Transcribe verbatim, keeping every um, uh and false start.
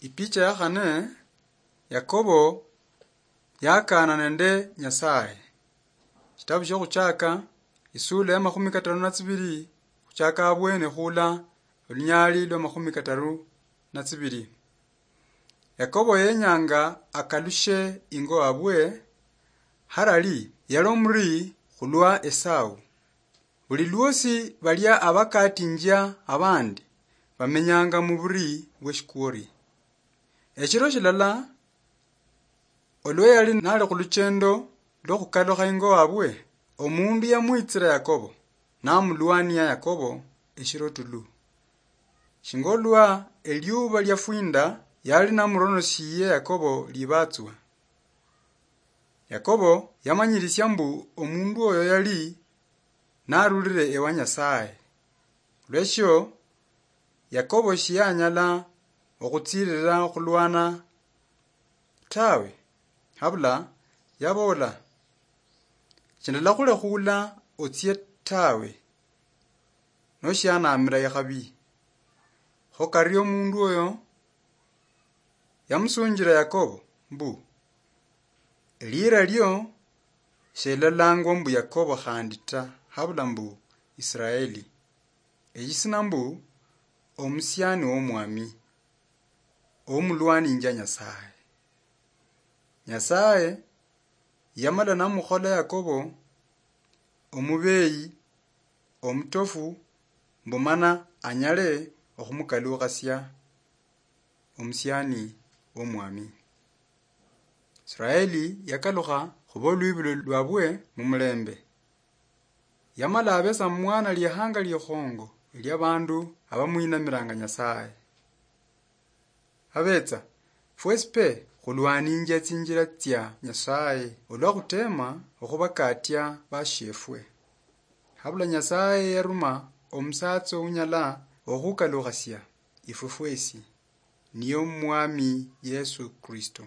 Ipicha ya khane, Yakobo yakaana nende Nyasaye. Shitabu shio Khuchaka, isula ya makhumi kataru na tsibiri, khuchaka abwene khula olunyali lwa makhumi kataru na tsibiri. Yakobo yenyanga akalushe ingo abwe, harali yali omuri khulwa Esau. Buli lwosi balia abakatinjia abandi bamenyanga muburi bweshikwori. Eshiro shilala, olwa yali nali khuluchendo lwokhukalukha ingo wabwe, omundu yamwitsira Yakobo, namulwania Yakobo eshiro tulu. Shinga olwa eliuba liafwinda, yali namuronoshie Yakobo libatswa. Yakobo yamanyirisia mbu omundu oyo yali narulire ewa Nyasaye. Olweshio, Yakobo shiyanyala okhutsirira okhulwana tawe, habula yabola, "Shindalakhulekhuula otsie tawe, noshianamira ikhabi." Kho kario omundu oyo yamusunjira Yakobo mbu, "Eliira lio shelolangwa mbu Yakobo khandi ta, habula mbu Israeli, eyisina mbu omusiani womwami, omulwaninja Nyasaye." Nyasaye yamala namukhola Yakobo omubeyi omutofu, mbu mana anyale okhumukalukhasia omusiani womwami. Israeli yakalukha khuba olwibulo lwabwe mumulembe. Yamala abesa mwana liehanga liekhongo eliabandu abamwinamiranga Nyasaye. Abetsa, fwesi pe khulwaninjia tsinjila tsia Nyasaye olwa khutema okhubakatia bashiefwe. Habula Nyasaye yaruma omusatsa ounyala okhukalukhasia ifwe fwesi, niye Omwami Yesu Kristo.